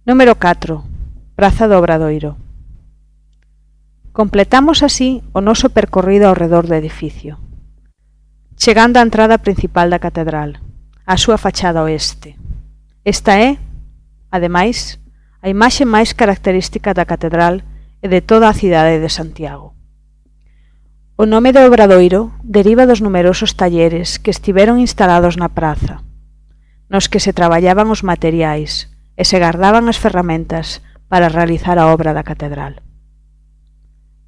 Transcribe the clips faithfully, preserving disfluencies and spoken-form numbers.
Número catro. Praza do Obradoiro. Completamos así o noso percorrido ao redor do edificio, chegando á entrada principal da catedral, á súa fachada oeste. Esta é, ademais, a imaxe máis característica da catedral e de toda a cidade de Santiago. O nome de Obradoiro deriva dos numerosos talleres que estiveron instalados na praza, nos que se traballaban os materiais e se gardaban as ferramentas para realizar a obra da catedral.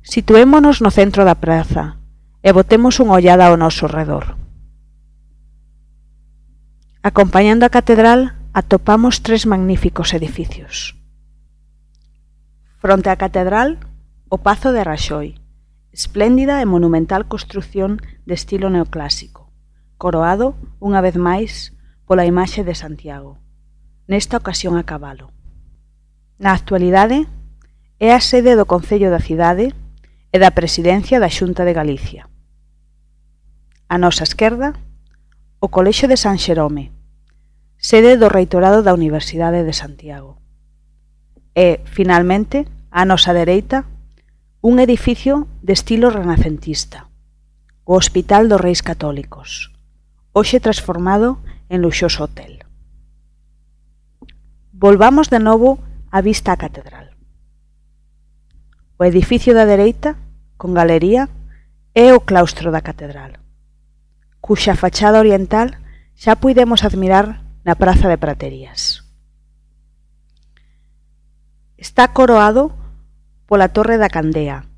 Situémonos no centro da praza e botemos unha ollada ao noso redor. Acompañando a catedral atopamos tres magníficos edificios. Fronte á catedral, o Pazo de Raxoi, espléndida e monumental construción de estilo neoclásico, coroado, unha vez máis, pola imaxe de Santiago, nesta ocasión a cabalo. Na actualidade, é a sede do Concello da cidade e da Presidencia da Xunta de Galicia. A nosa esquerda, o Colexio de San Xerome, sede do Reitorado da Universidade de Santiago. E, finalmente, a nosa dereita, un edificio de estilo renacentista, o Hospital dos Reis Católicos, hoxe transformado en luxoso hotel. Volvamos de novo a vista á catedral. O edificio da dereita, con galería, é o claustro da catedral, cuxa fachada oriental xa puidemos admirar na Praza de Praterías. Está coroado pola Torre da Candea,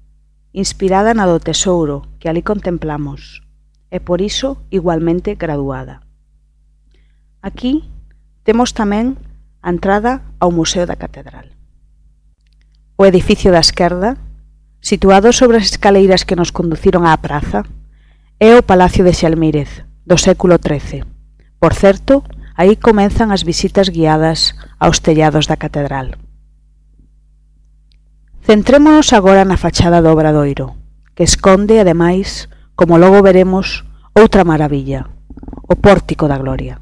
inspirada na do Tesouro que ali contemplamos, e por iso igualmente graduada. Aquí temos tamén a entrada ao Museo da Catedral. O edificio da esquerda, situado sobre as escaleiras que nos conduciron á praza, é o Palacio de Xalmírez, do século trece. Por certo, aí comenzan as visitas guiadas aos tellados da catedral. Centrémonos agora na fachada do Obradoiro, que esconde, ademais, como logo veremos, outra maravilla, o Pórtico da Gloria.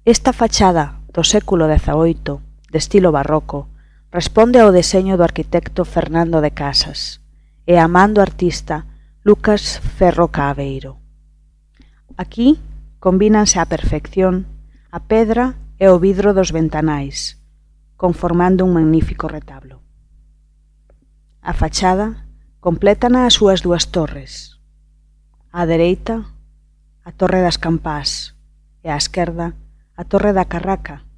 Esta fachada do século dezaoito, de estilo barroco, responde ao deseño do arquitecto Fernando de Casas e a man do artista Lucas Ferro Caaveiro. Aquí combínanse á perfección a pedra e o vidro dos ventanais, conformando un magnífico retablo. A fachada complétana as súas dúas torres. Á dereita, a Torre das Campás e á esquerda, a Torre da Carraca,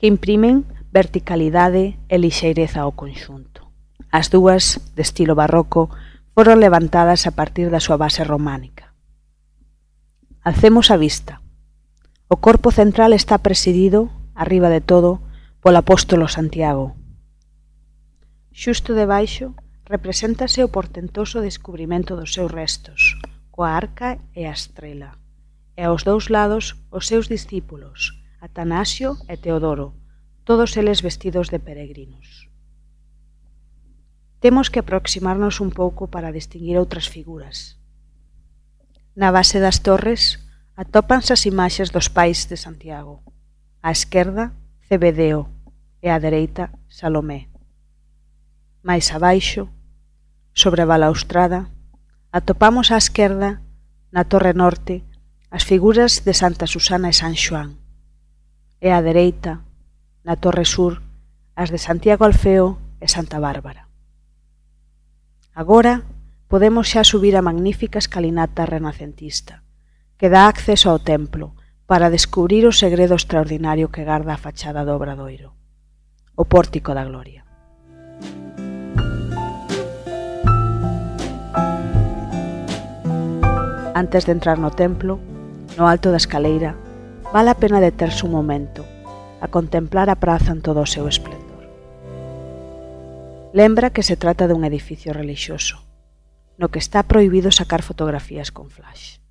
que imprimen verticalidade e lixeireza ao conxunto. As dúas, de estilo barroco, foron levantadas a partir da súa base románica. Alcemos a vista. O corpo central está presidido, arriba de todo, polo apóstolo Santiago. Xusto debaixo represéntase o portentoso descubrimento dos seus restos, coa arca e a estrela, e aos dous lados os seus discípulos, Atanasio e Teodoro, todos eles vestidos de peregrinos. Temos que aproximarnos un pouco para distinguir outras figuras. Na base das torres atópanse as imaxes dos pais de Santiago. Á esquerda, Cebedeo, e á dereita, Salomé. Mais abaixo, sobre a balaustrada, atopamos á esquerda, na torre norte, as figuras de Santa Susana e San Xoán, e á dereita, na torre sur, as de Santiago Alfeo e Santa Bárbara. Agora podemos xa subir a magnífica escalinata renacentista, que dá acceso ao templo para descubrir o segredo extraordinario que garda a fachada do Obradoiro, o Pórtico da Gloria. Antes de entrar no templo, no alto da escaleira, vale a pena deterse un momento a contemplar a praza en todo o seu esplendor. Lembra que se trata dun edificio relixioso, no que está prohibido sacar fotografías con flash.